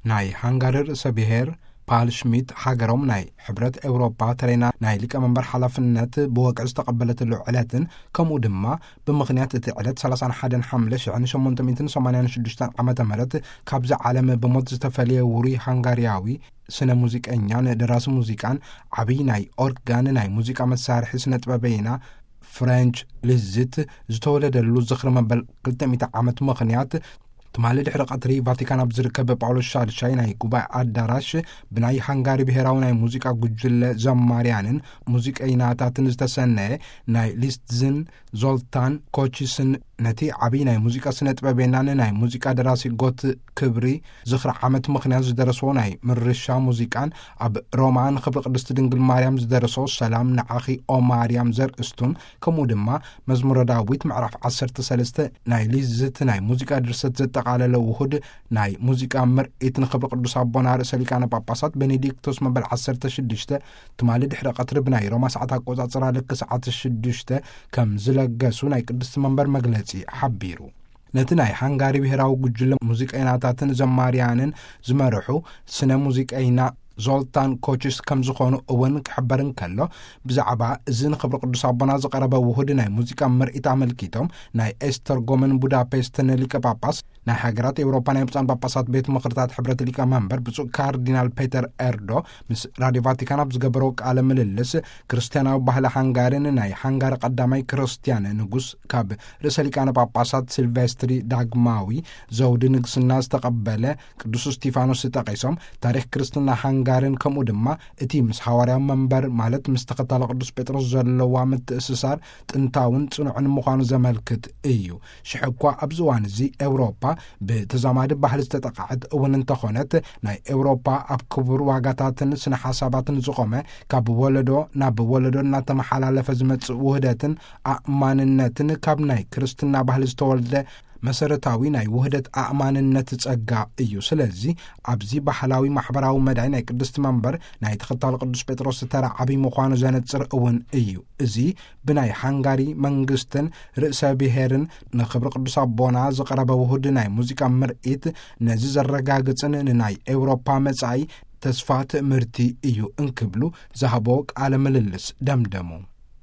ናይ ሃንጋሪ ርእሰ ብሔር ፓል ሽሚት፣ ሃገሮም ናይ ሕብረት ኤውሮፓ ተረይና ናይ ሊቀመንበር ሓላፍነት ብወግዒ ዝተቐበለትሉ ዕለትን፣ ከምኡ ድማ ብምኽንያት እቲ ዕለት ሰላሳን ሓደን ሓምለ ሽሕን ሸሞንተ ሚእትን ሰማንያን ሽዱሽተን ዓመተ ምህረት ካብዚ ዓለም ብሞት ዝተፈልየ ውሩይ ሃንጋርያዊ ስነ ሙዚቀኛን ደራሲ ሙዚቃን ዓብዪ ናይ ኦርጋን ናይ ሙዚቃ መሳርሒ ስነ ጥበበይና ፍሬንች ሊዝት ዝተወለደሉ ዝኽሪ መበል ክልተ ሚእቲ ዓመት ምኽንያት፣ ትማሊ ድሕሪ ቀትሪ ቫቲካን ኣብ ዝርከብ ጳውሎስ ሻድሻይ ናይ ጉባኤ ኣዳራሽ ብናይ ሃንጋሪ ብሔራዊ ናይ ሙዚቃ ጉጅለ ዘማርያንን ሙዚቀይናታትን ዝተሰነየ ናይ ሊስትን ዞልታን ኮቺስን ነቲ ዓብዪ ናይ ሙዚቃ ስነ ጥበበናን ናይ ሙዚቃ ደራሲ ጎት ክብሪ ዝኽሪ ዓመት ምኽንያት ዝደረስዎ ናይ ምርሻ ሙዚቃን፣ ኣብ ሮማ ንኽብሪ ቅድስቲ ድንግል ማርያም ዝደረሶ ሰላም ንዓኺ ኦ ማርያም ዘርእስቱን፣ ከምኡ ድማ መዝሙረ ዳዊት ምዕራፍ ዓሰርተ ሰለስተ ናይ ሊዝት ናይ ሙዚቃ ድርሰት ዘጠቓለለ ውሁድ ናይ ሙዚቃ ምርኢት ንኽብሪ ቅዱስ ኣቦና ርእሰ ሊቃነ ጳጳሳት ቤኔዲክቶስ መበል ዓሰርተ ሽዱሽተ ትማሊ ድሕሪ ቀትሪ ብናይ ሮማ ሰዓት ኣቆጻጽራ ልክ ሰዓት ሽዱሽተ ከም ዝለገሱ ናይ ቅድስቲ መንበር መግለጺ ሓቢሩ። ነቲ ናይ ሃንጋሪ ብሔራዊ ጉጅለ ሙዚቀይናታትን ዘማርያንን ዝመርሑ ስነ ሙዚቀይና ዞልታን ኮችስ ከም ዝኾኑ እውን ክሕበር እንከሎ፣ ብዛዕባ እዚ ንኽብሪ ቅዱስ ኣቦና ዝቐረበ ውሁድ ናይ ሙዚቃ ምርኢት ኣመልኪቶም ናይ ኤስተርጎምን ቡዳፔስትን ሊቀ ጳጳስ፣ ናይ ሃገራት ኤውሮፓ ናይ ብፁዓን ጳጳሳት ቤት ምኽርታት ሕብረት ሊቀ መንበር ብፁዕ ካርዲናል ፔተር ኤርዶ ምስ ራድዮ ቫቲካን ኣብ ዝገበረው ቃለ ምልልስ፣ ክርስትያናዊ ባህሊ ሃንጋሪን ናይ ሃንጋሪ ቀዳማይ ክርስትያን ንጉስ ካብ ርእሰ ሊቃነ ጳጳሳት ሲልቬስትሪ ዳግማዊ ዘውዲ ንግስና ዝተቐበለ ቅዱስ እስቲፋኖስ ጠቒሶም፣ ታሪኽ ክርስትና ሃንጋሪን ከምኡ ድማ እቲ ምስ ሃዋርያዊ መንበር ማለት ምስ ተኸታሊ ቅዱስ ጴጥሮስ ዘለዋ ምትእስሳር ጥንታውን ጽኑዕን ምዃኑ ዘመልክት እዩ። ሽሕ እኳ ኣብዚ እዋን እዚ ኤውሮፓ ብተዛማዲ ባህሊ ዝተጠቕዐት እውን እንተኾነት፣ ናይ ኤውሮፓ ኣብ ክቡር ዋጋታትን ስነ ሓሳባትን ዝቖመ፣ ካብ ወለዶ ናብ ወለዶ እናተመሓላለፈ ዝመጽእ ውህደትን ኣእማንነትን፣ ካብ ናይ ክርስትና ባህሊ ዝተወልደ መሰረታዊ ናይ ውህደት ኣእማንነት ጸጋ እዩ። ስለዚ ኣብዚ ባህላዊ ማሕበራዊ መዳይ ናይ ቅድስቲ መንበር ናይ ተኸታሊ ቅዱስ ጴጥሮስ ተራ ዓብዪ ምዃኑ ዘነጽር እውን እዩ። እዚ ብናይ ሃንጋሪ መንግስትን ርእሰ ብሔርን ንኽብሪ ቅዱስ ኣቦና ዝቐረበ ውሁድ ናይ ሙዚቃ ምርኢት ነዚ ዘረጋግጽን ንናይ ኤውሮፓ መጻኢ ተስፋ ትእምርቲ እዩ እንክብሉ ዝሃቦ ቃለ ምልልስ ደምደሙ።